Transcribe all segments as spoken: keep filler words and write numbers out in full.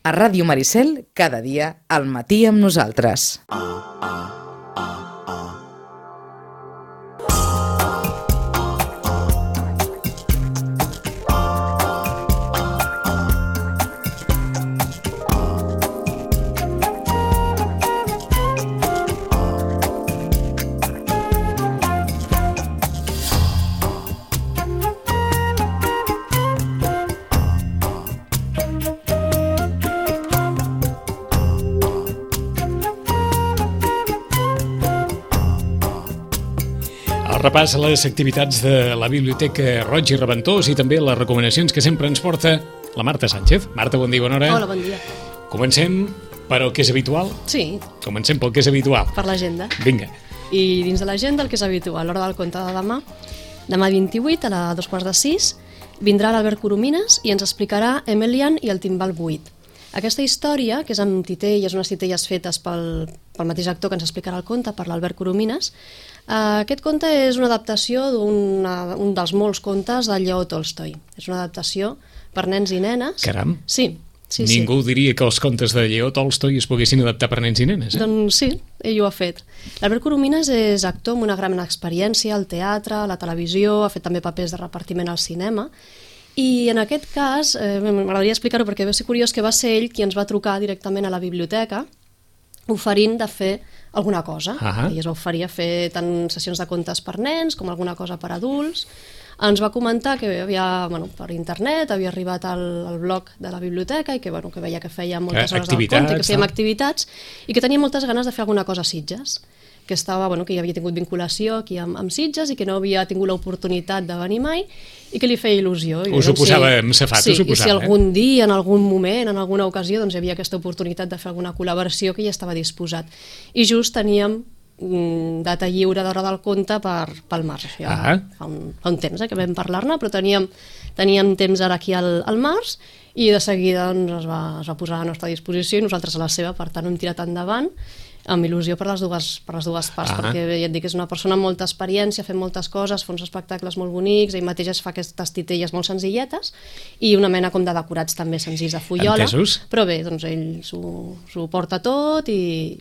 A Ràdio Maricel, cada dia, al matí amb nosaltres. Repàs a les activitats de la Biblioteca Roig i Reventós i també les recomanacions que sempre ens porta la Marta Sánchez. Marta, bon dia, bona hora. Hola, bon dia. Comencem per el que és habitual? Sí. Comencem pel que és habitual. Per l'agenda. Vinga. I dins de l'agenda el que és habitual, l'hora del conte de demà, demà vint-i-vuit a les dos quarts de sis, vindrà l'Albert Coromines i ens explicarà Emelian i el timbal buit. Aquesta història, que és amb titelles, unes titelles fetes pel, pel mateix actor que ens explicarà el conte, per l'Albert Coromines, Uh, aquest conte és una adaptació d'un un dels molts contes de Lleó Tolstoi. És una adaptació per nens i nenes. Caram! Sí, sí, Ningú sí. diria que els contes de Lleó Tolstoi es poguessin adaptar per nens i nenes, eh? Doncs sí, ell ho ha fet. L'Albert Coromines és actor amb una gran experiència al teatre, a la televisió, ha fet també papers de repartiment al cinema, i en aquest cas, eh, m'agradaria explicar-ho perquè va ser curiós que va ser ell qui ens va trucar directament a la biblioteca oferint de fer alguna cosa. Uh-huh. Ell es va oferir a fer tant sessions de contes per nens com alguna cosa per adults. Ens va comentar que havia, bueno, per internet havia arribat al, al blog de la biblioteca i que, bueno, que veia que feia moltes hores del conte, que fèiem activitats i que tenia moltes ganes de fer alguna cosa a Sitges, que estava, bueno, que ja havia tingut vinculació aquí amb, amb Sitges i que no havia tingut l'oportunitat de venir mai i que li feia il·lusió. I us ho posava en safat, sí, us ho posava. I si algun dia, en algun moment, en alguna ocasió, doncs hi havia aquesta oportunitat de fer alguna col·laboració que ja estava disposat. I just teníem mm, data lliure d'hora del conte per, pel març. Ja, ah. fa, un, fa un temps eh, que vam parlar-ne, però teníem, teníem temps ara aquí al, al març i de seguida doncs, es, va, es va posar a la nostra disposició i nosaltres a la seva, per tant hem tirat endavant amb il·lusió per les dues, per les dues parts, ah. perquè ja et dic, és una persona amb molta experiència, fent moltes coses, fa uns espectacles molt bonics, ell mateix es fa aquestes titelles molt senzilletes i una mena com de decorats també senzills de fullola. Entesos. Però bé, doncs ell s'ho porta tot i,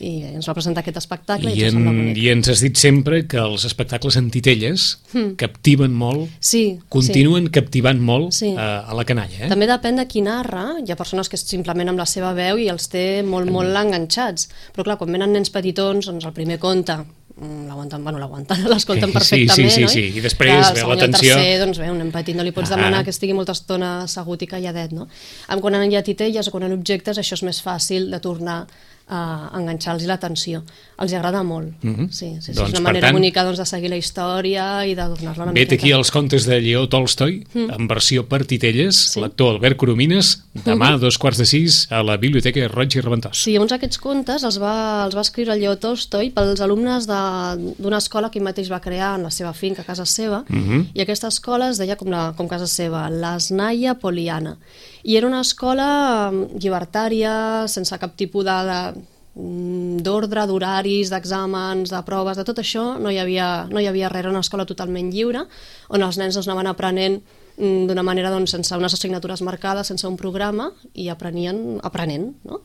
i ens va presentar aquest espectacle i, I, en, en, i ens has dit sempre que els espectacles en titelles mm. captiven molt, sí, continuen sí. captivant molt sí. a, a la canalla. Eh? També depèn de qui narra, hi ha persones que simplement amb la seva veu i els té molt, molt mm. enganxats, però clar, quan venen nens petitons, doncs el primer conte l'aguanten, bueno, l'aguanten, l'escolten perfectament, sí, sí, oi? Sí, sí, i després ve l'atenció. El tercer, doncs bé, un nen petit no li pots ah. demanar que estigui molta estona assegut i calladet, no? Quan hi ha titelles o quan hi ha objectes, això és més fàcil de tornar a enganxar-los l'atenció. Els agrada molt. Mm-hmm. Sí, sí, sí, doncs, és una manera tant, bonica doncs, de seguir la història i de tornar-la una miqueta. Vet aquí els contes de Lleó Tolstoi, mm. en versió per titelles, sí. l'actor Albert Coromines, demà a dos quarts de sis a la Biblioteca Roig i Reventós. Sí, uns aquests contes els va, els va escriure el Lleó Tolstoi pels alumnes d'una escola que ell mateix va crear en la seva finca, a casa seva, mm-hmm. i aquesta escola es deia com, la, com casa seva, l'Snaya Poliana. I era una escola llibertària, sense cap tipus de, de d'ordre, d'horaris, d'exàmens, de proves, de tot això no hi havia, no hi havia res, era una escola totalment lliure, on els nens doncs, anaven aprenent d'una manera doncs, sense unes assignatures marcades, sense un programa, i aprenien aprenent, no?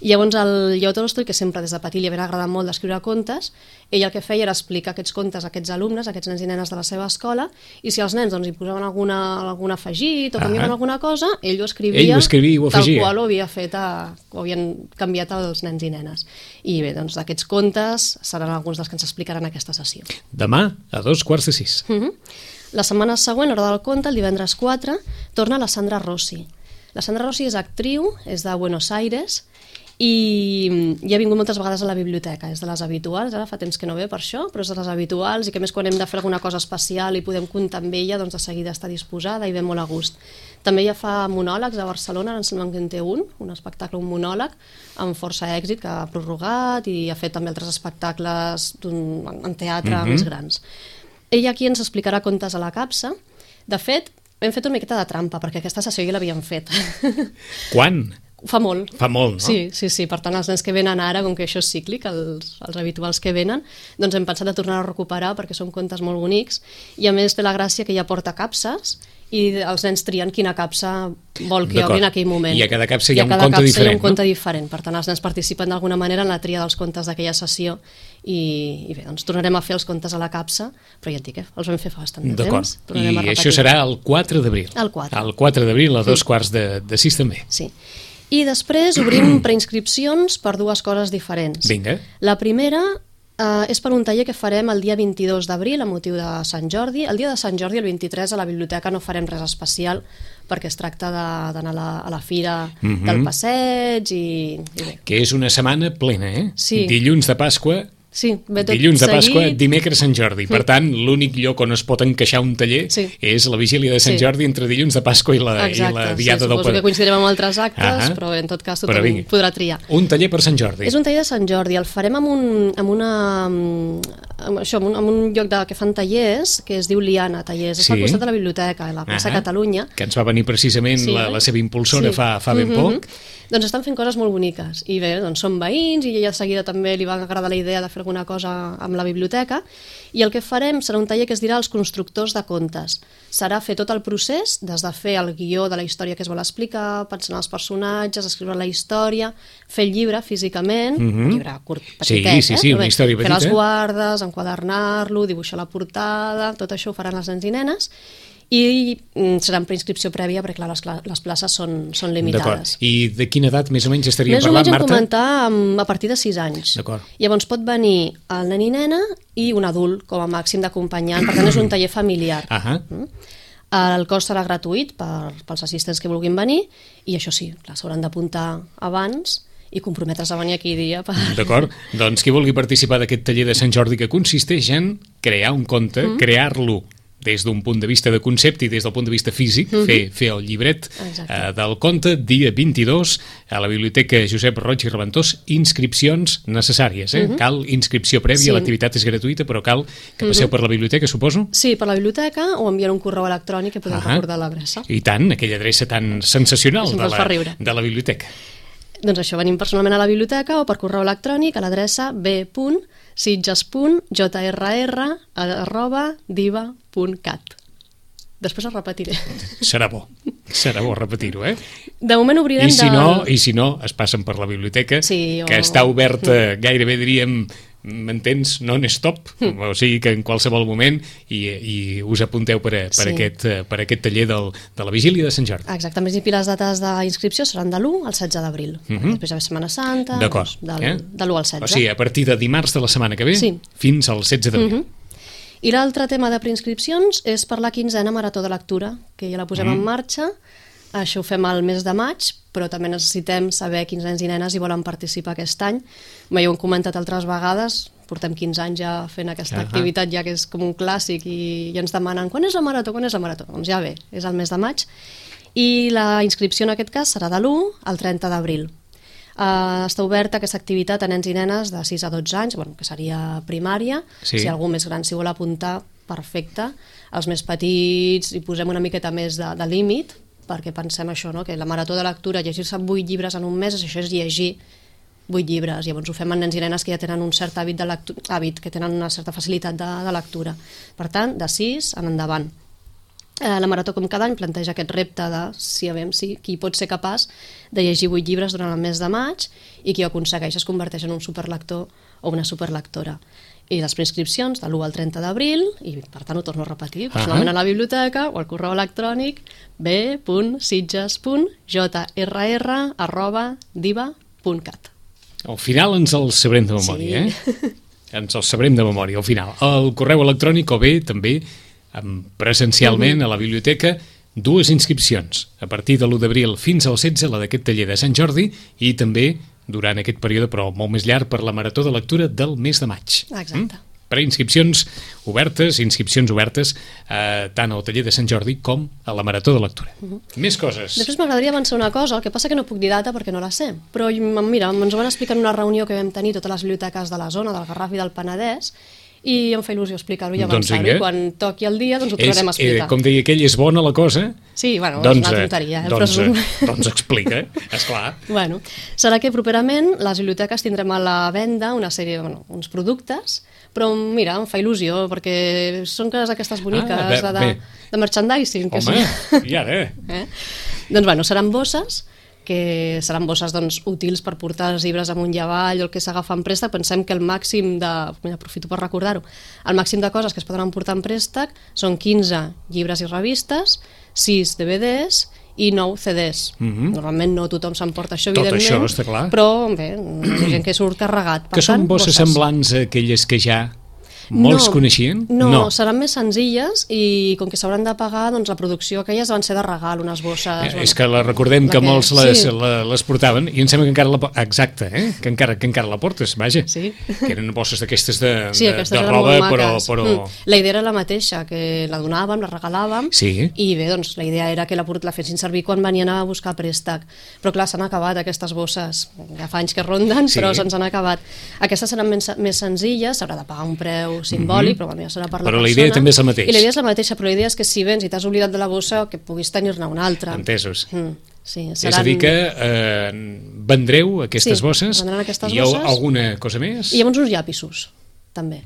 I llavors el Lleó Tolstoi, que sempre des de petit li havia agradat molt d'escriure contes, ell el que feia era explicar aquests contes a aquests alumnes, a aquests nens i nenes de la seva escola, i si els nens doncs, hi posaven alguna, algun afegit o canviaven ah. alguna cosa, ell ho escrivia, ell ho escrivia i ho tal qual ho havia fet, a, ho havien canviat als nens i nenes. I bé, doncs d'aquests contes seran alguns dels que ens explicaran aquesta sessió. Demà a dos quarts de sis. Uh-huh. La setmana següent, hora del conte, el divendres quatre, torna la Sandra Rossi. La Sandra Rossi és actriu, és de Buenos Aires, i ja ha vingut moltes vegades a la biblioteca, és de les habituals, ara fa temps que no ve per això, però és de les habituals i que més quan hem de fer alguna cosa especial i podem comptar amb ella, doncs de seguida està disposada i ve molt a gust. També ja fa monòlegs a Barcelona, ara em sembla que en té un, un espectacle, un monòleg, amb força èxit, que ha prorrogat i ha fet també altres espectacles en teatre mm-hmm. més grans. Ella aquí ens explicarà contes a la capsa. De fet, hem fet una miqueta de trampa, perquè aquesta sessió ja l'havíem fet. Quan? Fa molt. Fa molt, no? Sí, sí, sí. Per tant, els nens que venen ara, com que això és cíclic, els, els habituals que venen, doncs hem pensat de tornar a recuperar perquè són contes molt bonics i a més té la gràcia que ja porta capses i els nens trien quina capsa vol que obri en aquell moment. I a cada capsa hi ha un conte diferent, diferent, hi ha un conte no? diferent. Per tant, els nens participen d'alguna manera en la tria dels contes d'aquella sessió i, i bé, doncs tornarem a fer els contes a la capsa, però ja et dic, eh, els vam fer fa bastant de temps. I això serà el quatre d'abril. El quatre. El quatre d'abril a dos mm. quarts de, de sis també. Sí. I després obrim preinscripcions per dues coses diferents. Vinga. La primera Uh, és per un taller que farem el dia vint-i-dos d'abril a motiu de Sant Jordi. El dia de Sant Jordi, el vint-i-tres, a la biblioteca no farem res especial perquè es tracta d'anar a, la, a la fira mm-hmm. del passeig i, i bé. Que és una setmana plena, eh? Sí. Dilluns de Pasqua, sí, ve tot dilluns de Pasqua, seguit. dimecres Sant Jordi. Per tant, l'únic lloc on es pot encaixar un taller sí. és la vigília de Sant sí. Jordi entre dilluns de Pasqua i la, Exacte, i la diada sí, del... Suposo que coincidirem amb altres actes, ah però en tot cas tothom podrà triar. Un taller per Sant Jordi. És un taller de Sant Jordi, el farem amb un, amb una, amb això, amb un, amb un lloc de, que fan tallers, que es diu Liana Tallers, sí. Està al costat de la biblioteca, a la plaça uh-huh. Catalunya. Que ens va venir precisament sí, la, la seva impulsora sí. fa, fa ben uh-huh. poc. Doncs estan fent coses molt boniques i bé, doncs són veïns i ella de seguida també li va agradar la idea de fer alguna cosa amb la biblioteca i el que farem serà un taller que es dirà els constructors de contes. Serà fer tot el procés, des de fer el guió de la història que es vol explicar, pensar en els personatges, escriure la història, fer el llibre físicament, mm-hmm. llibre curt, petitet, sí, sí, sí, eh? una història petita. Fer les guardes, enquadernar-lo, dibuixar la portada, tot això ho faran els nens i nenes i serà en preinscripció prèvia perquè clar, les, les places són, són limitades. I de quina edat més o menys estaríem més parlant, Marta? Més o menys hem comentar a partir de sis anys. Llavors pot venir el nen i nena i un adult com a màxim d'acompanyant, per tant és un taller familiar. Uh-huh. El cost serà gratuït per, pels assistents que vulguin venir i això sí, s'hauran d'apuntar abans i comprometre's a venir aquell dia. Per... D'acord, doncs qui vulgui participar d'aquest taller de Sant Jordi que consisteix en crear un conte, mm. crear-lo des d'un punt de vista de concepte i des del punt de vista físic, mm-hmm. fer, fer el llibret eh, del conte, dia vint-i-dos, a la Biblioteca Josep Roig i Reventós, inscripcions necessàries. Eh? Mm-hmm. Cal inscripció prèvia, sí. L'activitat és gratuïta, però cal que passeu mm-hmm. per la biblioteca, suposo? Sí, per la biblioteca o enviar un correu electrònic que podem ah, recordar l'adreça. I tant, aquella adreça tan sensacional de la, de la biblioteca. Doncs això, venim personalment a la biblioteca o per correu electrònic a l'adreça b punt sitges punt j r r arroba diva punt cat. Després el repetiré. Serà bo, serà bo repetir-ho, eh? De moment obrirem... I si, de... no, I si no, es passen per la biblioteca, sí, o... que està oberta gairebé, diríem, m'entens, non-stop, mm. o sigui que en qualsevol moment i, i us apunteu per, a, per, sí. aquest, per aquest taller del, de la Vigília de Sant Jordi. Exacte, més i les dates d'inscripció seran de l'u al setze d'abril. Mm-hmm. Després ja ve Setmana Santa, doncs, del, eh? de l'u al setze. O sigui, a partir de dimarts de la setmana que ve sí. fins al setze d'abril. Mm-hmm. I l'altre tema de preinscripcions és per la quinzena Marató de Lectura, que ja la posem mm. en marxa. Això ho fem al mes de maig, però també necessitem saber quins nens i nenes hi volen participar aquest any. Bé, ja ho hem comentat altres vegades, portem quinze anys ja fent aquesta uh -huh. activitat, ja que és com un clàssic, i, i ens demanen quan és la marató, quan és la marató? Doncs ja bé, és al mes de maig. I la inscripció en aquest cas serà de l'u al trenta d'abril. Uh, està oberta aquesta activitat a nens i nenes de sis a dotze anys, bueno, que seria primària, sí. Si algú més gran s'hi vol apuntar, perfecte. Els més petits hi posem una miqueta més de, de límit, perquè pensem això, no? Que la marató de lectura, llegir-se vuit llibres en un mes, això és llegir vuit llibres. Llavors ho fem amb nens i nenes que ja tenen un cert hàbit, de lectura, hàbit que tenen una certa facilitat de, de lectura. Per tant, de sis en endavant. Eh, la Marató, com cada any, planteja aquest repte de si, veiem, si qui pot ser capaç de llegir vuit llibres durant el mes de maig i qui ho aconsegueix es converteix en un superlector o una superlectora. I les preinscripcions de l'u al trenta d'abril, i per tant ho torno a repetir, personalment uh-huh. a la biblioteca o al correu electrònic b punt sitges punt j r r arroba diva punt cat. Al final ens el sabrem de memòria, sí. eh? Ens el sabrem de memòria, al final. El correu electrònic o bé també presencialment uh-huh. a la biblioteca, dues inscripcions a partir de l'u d'abril fins al setze, la d'aquest taller de Sant Jordi, i també durant aquest període, però molt més llarg, per la Marató de Lectura del mes de maig. Exacte. Mm? Preinscripcions obertes, inscripcions obertes eh, tant al taller de Sant Jordi com a la Marató de Lectura. Uh-huh. Més coses. Després m'agradaria avançar una cosa, el que passa que no puc dir data perquè no la sé, però mira, ens ho van explicar en una reunió que vam tenir totes les biblioteques de la zona, del Garraf i del Penedès, i em fa il·lusió explicar-ho i avançar-ho. Doncs quan toqui el dia, doncs ho tornarem a explicar. Eh, com deia aquell, és bona la cosa? Sí, bueno, doncs, és una tonteria. Eh? Doncs, Però... eh, doncs explica, esclar. Bueno, serà que properament les biblioteques tindrem a la venda una sèrie, bueno, uns productes, però mira, em fa il·lusió, perquè són coses aquestes boniques. Ah, bé, de... bé. de merchandising. Que Home, sí. i ara? Eh? Doncs bueno, seran bosses, que seran bosses doncs, útils per portar els llibres amunt i avall o el que s'agafa en préstec. Pensem que el màxim de... Mira, aprofito per recordar-ho. El màxim de coses que es poden emportar en préstec són quinze llibres i revistes, sis D V Ds i nou C Ds. Mm-hmm. Normalment no tothom s'emporta això, Tot evidentment. això, està clar. Però, bé, hi ha gent que surt carregat. Per Que són tant, bosses semblants a aquelles que ja molts no, coneixien? No, no, seran més senzilles i com que s'hauran de pagar, doncs la producció aquelles van ser de regal, unes bosses... Eh, bueno, és que la recordem la que, que- molts les, sí. la, les portaven i em sembla que encara la... po- Exacte, eh? Que encara, que encara la portes, vaja. Sí. Que eren bosses d'aquestes de, Sí, de, aquestes de eren roba, molt però... maques. però... Mm. La idea era la mateixa, que la donàvem, la regalàvem, Sí. i bé, doncs la idea era que la, port- la fessin servir quan venien a buscar préstec. Però clar, s'han acabat aquestes bosses, ja fa anys que ronden, Sí. però se'ns han acabat. Aquestes seran més, més senzilles, s'haurà de pagar un preu simbòlic, mm-hmm. però bueno, ja serà per la Però persona. la idea també és la mateixa. I la idea és la mateixa, però la idea és que si vens i t'has oblidat de la bossa, que puguis tenir-ne una altra. Entesos. Mm, sí, És a dir que eh, vendreu aquestes Sí, bosses vendran aquestes i hi ha bosses. alguna cosa més? I llavors uns llapisos, també.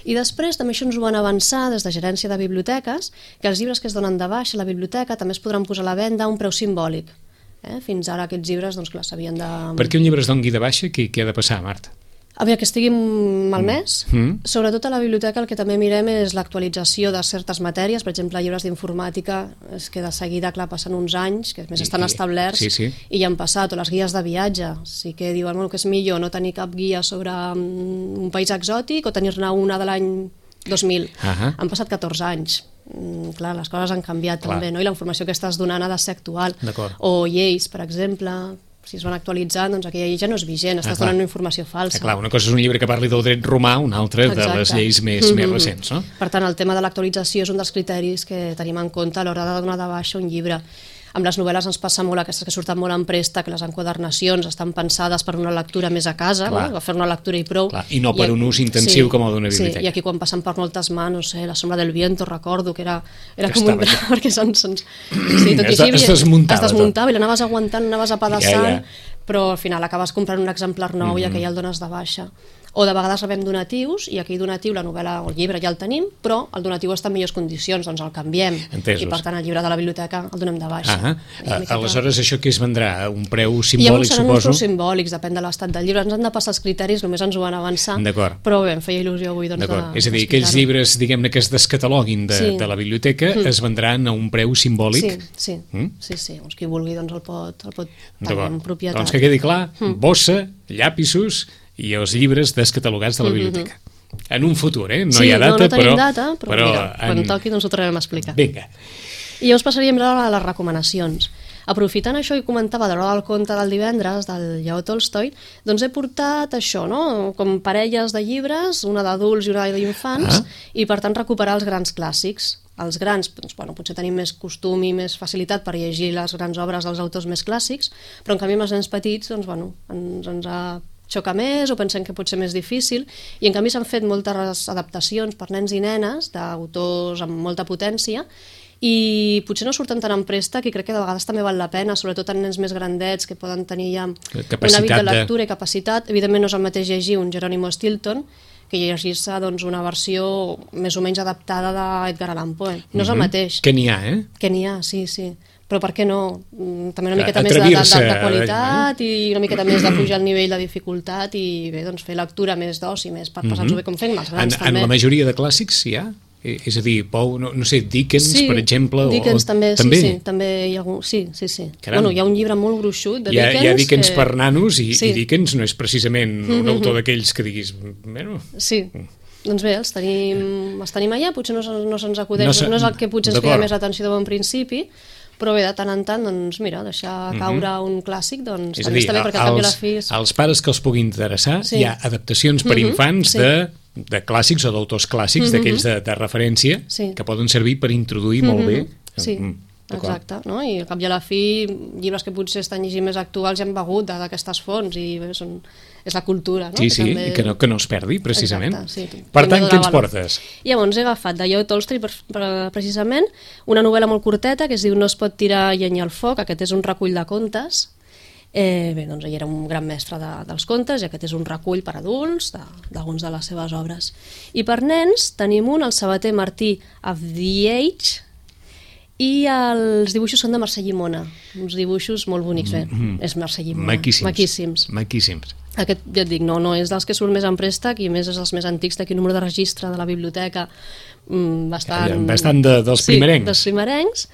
I després també això ens ho van avançar des de gerència de biblioteques, que els llibres que es donen de baixa a la biblioteca també es podran posar a la venda a un preu simbòlic. Eh? Fins ara aquests llibres, doncs clar, s'havien de... Perquè un llibre es doni de baixa, què, què ha de passar, Marta? A veure, que estigui malmès. Mm. Sobretot a la biblioteca el que també mirem és l'actualització de certes matèries, per exemple, llibres d'informàtica, és que de seguida, clar, passen uns anys, que a més I- estan i- establerts sí, sí. i ja han passat, o les guies de viatge. Sí que diuen bueno, que és millor no tenir cap guia sobre mm, un país exòtic o tenir-ne una de l'any dos mil. Ahà. Han passat catorze anys. Mm, clar, les coses han canviat Clar. també, no? I la informació que estàs donant ha de ser actual. D'acord. O lleis, per exemple, si es van actualitzant, doncs aquella llei ja no és vigent, estàs Ah, clar. donant una informació falsa. Ah, clar, una cosa és un llibre que parli del dret romà, una altra de Exacte. les lleis més, Mhm. més recents, no? Per tant, el tema de l'actualització és un dels criteris que tenim en compte a l'hora de donar de baixa un llibre. Amb les novel·les ens passa molt, aquestes que surten molt en préstec, que les enquadernacions estan pensades per una lectura més a casa, Clar. no? A fer una lectura i prou. Clar, i no per un ús intensiu com el d'una biblioteca. Sí, i aquí quan passen per moltes mans, no sé, La sombra del viento, recordo que era, era Que com un estava drama, perquè se'ns... se'ns... Sí, tot i Es així, de- es desmuntava es desmuntava i l'anaves aguantant, anaves apedaçant, Ja, ja. però al final acabes comprant un exemplar nou Mhm. i aquell ja el dones de baixa. O de vegades rebem donatius i aquell donatiu, la novel·la o el llibre ja el tenim, però el donatiu està en millors condicions, doncs el canviem. Entesos. I per tant el llibre de la biblioteca el donem de baixa. Ah, Una ah, miqueta- aleshores això que es vendrà a un preu I llavors simbòlic, seran uns suposo? preus simbòlics, depèn de l'estat del llibre. Ens han de passar els criteris, només ens ho van avançar. D'acord. Però bé, em feia il·lusió avui doncs, D'acord. de, És a dir, aquells d'explicar-ho. llibres, diguem-ne, que es descataloguin de, Sí. de la biblioteca Mm. es vendran a un preu simbòlic? Sí, sí, Mm? sí, sí. Doncs qui vulgui doncs el pot, el pot tenir D'acord. en propietat. Doncs que quedi clar, Mm. bossa, llapisos i els llibres descatalogats de la biblioteca. En un futur, eh? No sí, hi ha data, no, no tenim però... data, però, però mira, quan en... toqui doncs ho tornarem a explicar. Vinga. I llavors passaríem ara a les recomanacions. Aprofitant això que comentava de l'hora del conte del divendres, del Lleó Tolstoi, doncs he portat això, no? Com parelles de llibres, una d'adults i una d'infants, Ah. i per tant recuperar els grans clàssics. Els grans, doncs, bueno, potser tenim més costum i més facilitat per llegir les grans obres dels autors més clàssics, però en canvi amb els nens petits doncs, bueno, ens, ens ha xoca més o pensem que pot ser més difícil, i en canvi s'han fet moltes adaptacions per nens i nenes d'autors amb molta potència i potser no surten tant en préstec i crec que de vegades també val la pena, sobretot en nens més grandets que poden tenir ja un Capacitat hàbit de de- lectura i capacitat. Evidentment no és el mateix llegir un Jerónimo Stilton que llegir-se doncs, una versió més o menys adaptada d'Edgar Allan Poe. No és el Mhm. mateix. Que n'hi ha, eh? Que n'hi ha, sí, sí. Però per què no? Mm, També una A- miqueta més de, de, de, atrevir-se de a- qualitat i una miqueta més de pujar el nivell de dificultat i bé, doncs fer lectura més d'oci, més per passar-nos-ho bé com fem els En, grans en també. la majoria de clàssics hi ha? Eh, És a dir, Pou, no, no sé, Dickens, Sí, per exemple? o- Dickens també, també? sí, sí, també hi ha algun... Sí, sí, sí. Caram. Bueno, hi ha un llibre molt gruixut de Hi ha, Dickens. hi ha Dickens que... per nanos i, Sí. i Dickens no és precisament un Mhm. autor d'aquells que diguis... Bueno, Sí, doncs bé, els tenim, els tenim allà, potser no, se- no se'ns acudeix, No no, se- no és el que potser ens d'acord. crida més atenció de bon principi, però bé, de tant en tant, doncs mira, deixar caure un clàssic, doncs és a també dir, està bé, perquè al cap i a la als, fi... És... als pares que els pugui interessar, Sí. hi ha adaptacions per Mhm, infants sí. de, de clàssics o d'autors clàssics, Mhm. d'aquells de, de referència, Sí. que poden servir per introduir molt bé. Sí, Mm, d'acord. exacte, no? I al cap i a la fi, llibres que potser estan llegint més actuals ja han begut de- d'aquestes fonts i bé, són, és la cultura, no? Sí, sí, també- i que no, que no es perdi, precisament. Exacte, sí. Per Hem de tant, donar què ens valor. portes? Llavors he agafat de Lleó Tolstoi per, per, precisament una novel·la molt curteta que es diu No es pot tirar llenya al foc. Aquest és un recull de contes. Eh, bé, doncs ell era un gran mestre de, dels contes i aquest és un recull per adults de- d'alguns de, de les seves obres. I per nens tenim un, el sabater Martí of the Age, i els dibuixos són de Mercè Llimona, uns dibuixos molt bonics, bé, mm -hmm. és Mercè Llimona. Maquíssims. Maquíssims. Maquíssims. Aquest, ja et dic, no, no és dels que surt més en préstec i més és els més antics, d'aquí número de registre de la biblioteca, mm, bastant... Bastant de, dels sí, primerencs. dels primerencs.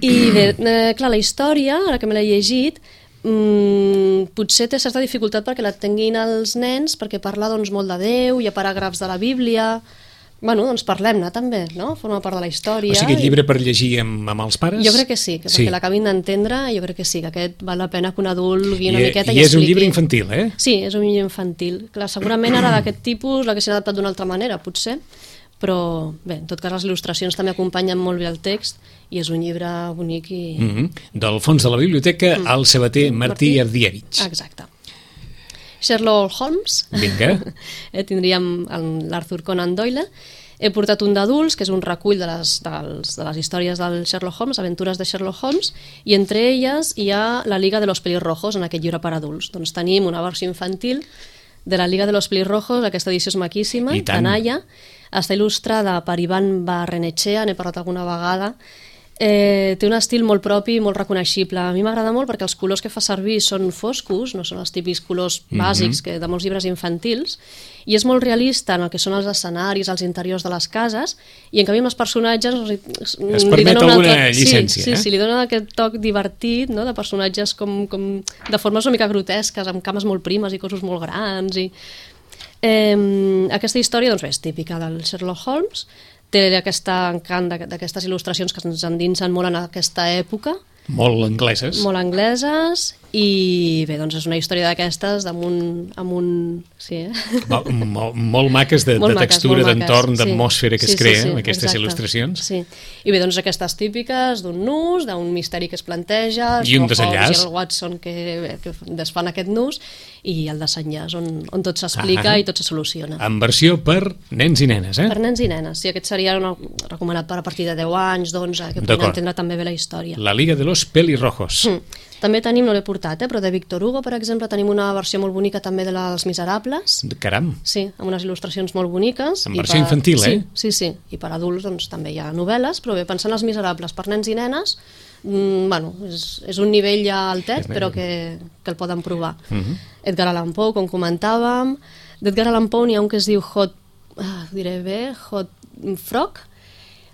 I bé, eh, clar, la història, ara que me l'he llegit, mm, potser té certa dificultat perquè la tinguin els nens, perquè parla doncs, molt de Déu, hi ha paràgrafs de la Bíblia... Bueno, doncs parlem-ne també, no? Forma part de la història. O sigui, aquest llibre per llegir amb, amb els pares? Jo crec que sí, que perquè sí. l'acabin d'entendre, jo crec que sí, que aquest val la pena que un adult guiï una I, miqueta i, i i és expliqui. un llibre infantil, eh? Sí, és un llibre infantil. Clar, segurament ara d'aquest tipus l'haguessin adaptat d'una altra manera, potser, però bé, en tot cas les il·lustracions també acompanyen molt bé el text i és un llibre bonic i... Mm -hmm. Del fons de la biblioteca, mm. al sabater Martí, Martí Ardievich. Exacte. Sherlock Holmes. Vinga. eh, tindríem l'Arthur Conan Doyle. He portat un d'adults, que és un recull de les, dels, de les històries del Sherlock Holmes, aventures de Sherlock Holmes, i entre elles hi ha la Liga de los Pelirrojos, en aquest llibre per adults. Doncs tenim una versió infantil de la Liga de los Pelirrojos, aquesta edició és maquíssima, canalla, està il·lustrada per Ivan Barrenechea, n'he parlat alguna vegada. Eh, té un estil molt propi, molt reconeixible. A mi m'agrada molt perquè els colors que fa servir són foscos, no són els típics colors bàsics mm-hmm. que de molts llibres infantils, i és molt realista en el que són els escenaris, els interiors de les cases, i en canvi amb els personatges es permet alguna altra... llicència. Sí, sí, eh? sí, li dona aquest toc divertit, no?, de personatges com, com de formes una mica grotesques, amb cames molt primes i cossos molt grans. I... Eh, aquesta història doncs, bé, és típica del Sherlock Holmes, té aquest encant d'aquestes il·lustracions que ens endinsen molt en aquesta època. Molt angleses. Molt angleses, i bé, doncs és una història d'aquestes amb un... Amb un sí, eh? Molt, molt, molt maques de, molt de textura, d'entorn, sí. d'atmosfera que sí, es crea sí, sí, amb aquestes exacte. il·lustracions. Sí. I bé, doncs aquestes típiques d'un nus, d'un misteri que es planteja, i un desenllaç. I el Watson que, que desfan aquest nus, i el desenllaç on, on tot s'explica i tot se soluciona. En versió per nens i nenes, eh? Per nens i nenes, sí, aquest seria una, recomanat per a partir de deu anys, d'onze, que puguin entendre també bé la història. La Liga de los Pelirrojos. Mm. També tenim, no l'he portat, eh, però de Victor Hugo, per exemple, tenim una versió molt bonica també de Les Miserables. Caram! Sí, amb unes il·lustracions molt boniques. En versió per... infantil, eh? Sí, sí, sí, i per adults doncs, també hi ha novel·les, però bé, pensant en Les Miserables per nens i nenes, mm, bueno, és, és un nivell ja altet, però que, que el poden provar. Uh -huh. Edgar Allan Poe, com comentàvem. D'Edgar Allan Poe n'hi ha un que es diu Hot, ah, diré bé, Hot Frog.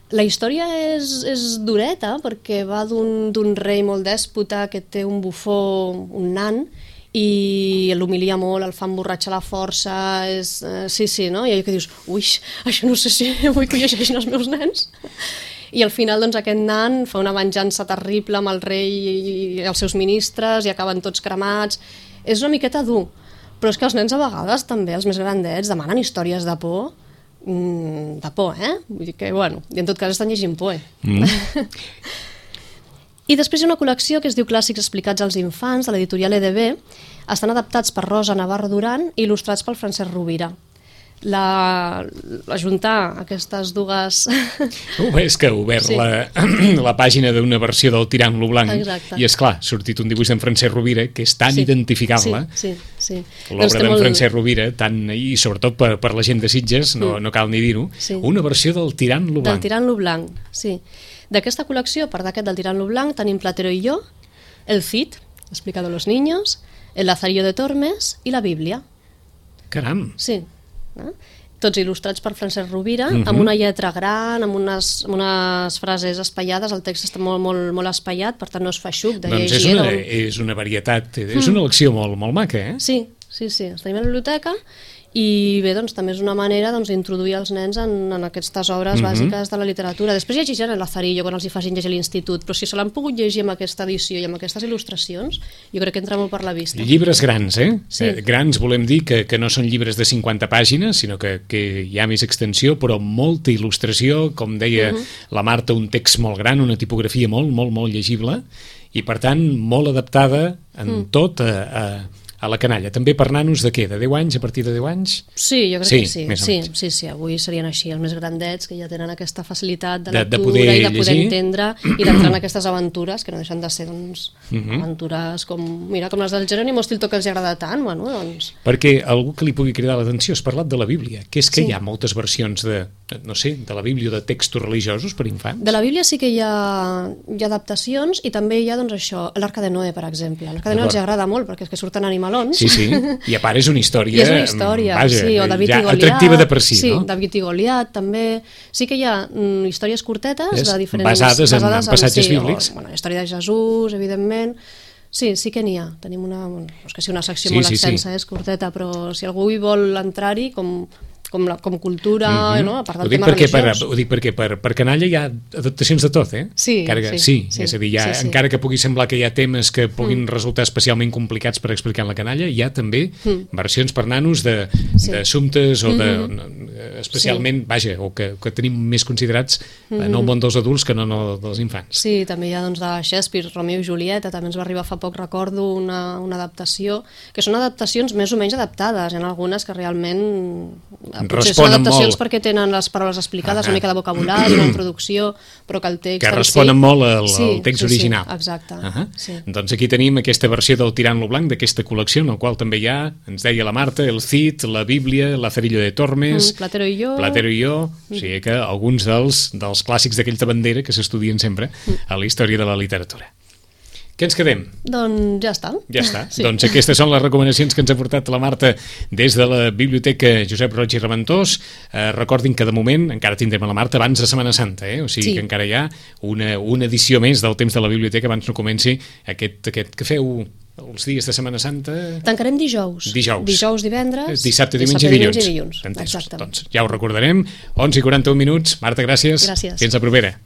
La història és, és dureta perquè va d'un rei molt dèspota que té un bufó, un nan, i l'humilia molt, el fa emborratxar la força, és, eh, sí, sí, no? I allò que dius, ui, això no sé si vull que ho llegeixin els meus nens. I al final doncs, aquest nan fa una venjança terrible amb el rei i els seus ministres i acaben tots cremats. És una miqueta dur, però és que els nens a vegades també, els més grandets, demanen històries de por, de por, eh? Vull dir que, bueno, i en tot cas estan llegint Poe. Mm. I després hi ha una col·lecció que es diu Clàssics explicats als infants, de l'editorial E D B, estan adaptats per Rosa Navarro Duran i il·lustrats pel Francesc Rovira. La, ajuntar aquestes dues... Uh, és que he obert sí. la, la pàgina d'una versió del Tirant lo Blanc. Exacte. I és clar, ha sortit un dibuix d'en Francesc Rovira que és tan sí. identificable. Sí, sí, sí. L'obra d'en molt... Francesc Rovira, tant, i sobretot per, per la gent de Sitges, no, mm. no cal ni dir-ho, sí. una versió del Tirant lo Blanc. Del Tirant lo Blanc, sí. D'aquesta col·lecció, a part d'aquest del Tirant lo Blanc, tenim Platero i jo, el Cid, explicado a los niños, el Lazarillo de Tormes i la Bíblia. Caram! Sí. Eh? Tots il·lustrats per Francesc Rovira, uh-huh. amb una lletra gran, amb unes, amb unes frases espaiades, el text està molt, molt, molt espaiat, per tant no es fa xuc de doncs llegir. És una, és una varietat, és una elecció molt, molt maca, eh? Sí, sí, sí, estem a la biblioteca i bé, doncs també és una manera doncs, d'introduir els nens en, en aquestes obres uh-huh. bàsiques de la literatura. Després llegiran el Lazarillo quan els hi facin llegir a l'institut, però si se l'han pogut llegir amb aquesta edició i amb aquestes il·lustracions, jo crec que entra molt per la vista. Llibres grans, eh? Sí. eh grans volem dir que, que no són llibres de cinquanta pàgines, sinó que, que hi ha més extensió, però molta il·lustració, com deia uh-huh. la Marta, un text molt gran, una tipografia molt, molt, molt llegible, i per tant molt adaptada en uh-huh. tot a... a a la canalla. També per nanos de què? De deu anys, a partir de deu anys? Sí, jo crec sí, que sí. Sí, sí, sí, avui serien així, els més grandets, que ja tenen aquesta facilitat de, de lectura de poder i de poder llegir. entendre i d'entrar en aquestes aventures, que no deixen de ser doncs, uh-huh. aventures com, mira, com les del Jerónimo Stilton, que els agrada tant, bueno, doncs... Perquè algú que li pugui cridar l'atenció, has parlat de la Bíblia, que és que sí. hi ha moltes versions de no sé, de la Bíblia, de textos religiosos per infants? De la Bíblia sí que hi ha, hi ha adaptacions i també hi ha, doncs, això, l'Arca de Noé, per exemple. L'Arca de Noé els agrada molt perquè és que surten animalons. Sí, sí, i a part és una història... I és una història, vaja, sí, o David ja i Goliat. Atractiva de per si, sí, no? Sí, David i Goliat, també. Sí que hi ha mm, històries curtetes és, de diferents... Basades, basades en, en passatges sí, bíblics. O, bueno, la història de Jesús, evidentment. Sí, sí que n'hi ha. Tenim una, no és que sigui una secció sí, molt sí, extensa, sí. és curteta, però si algú hi vol entrar-hi, com... Com, la, com cultura, mm-hmm. no? A part del ho dic tema perquè religiós. per, ho dic perquè per, per canalla hi ha adaptacions de tot, eh? Sí, que, sí, sí, sí. És a dir, hi ha, sí, sí. encara que pugui semblar que hi ha temes que puguin mm. resultar especialment complicats per explicar en la canalla, hi ha també mm. versions per nanos d'assumptes sí. o de... Mm-hmm. especialment, sí. vaja, o que, que tenim més considerats mm-hmm. en el món dels adults que no en el dels infants. Sí, també hi ha doncs, de Shakespeare, Romeo i Julieta, també ens va arribar fa poc, recordo, una, una adaptació, que són adaptacions més o menys adaptades, hi ha algunes que realment potser són adaptacions molt... perquè tenen les paraules explicades, ah, una mica de vocabulari, una introducció, però que el text que responen sí, molt al, sí, al text sí, original. Sí, exacte. Uh -huh. sí. Doncs aquí tenim aquesta versió del Tirant-lo Blanc, d'aquesta col·lecció, en la qual també hi ha, ens deia la Marta, el Cid, la Bíblia, Lazarillo de Tormes, mm, Platero i jo, Platero i jo, mm. o sigui que alguns dels, dels clàssics d'aquells de bandera que s'estudien sempre mm. a la història de la literatura. Què ens quedem? Doncs ja està. Ja està. Sí. Doncs aquestes són les recomanacions que ens ha portat la Marta des de la Biblioteca Josep Roig i Reventós. Eh, recordin que de moment encara tindrem a la Marta abans de Setmana Santa, eh? O sigui sí. que encara hi ha una, una edició més del temps de la biblioteca abans no comenci aquest, aquest que feu els dies de Setmana Santa... Tancarem dijous. Dijous. Dijous, divendres. Dissabte, diumenge i dilluns. dilluns. Entesos. Doncs ja ho recordarem. onze i quaranta-un minuts. Marta, gràcies. Gràcies. Fins la propera.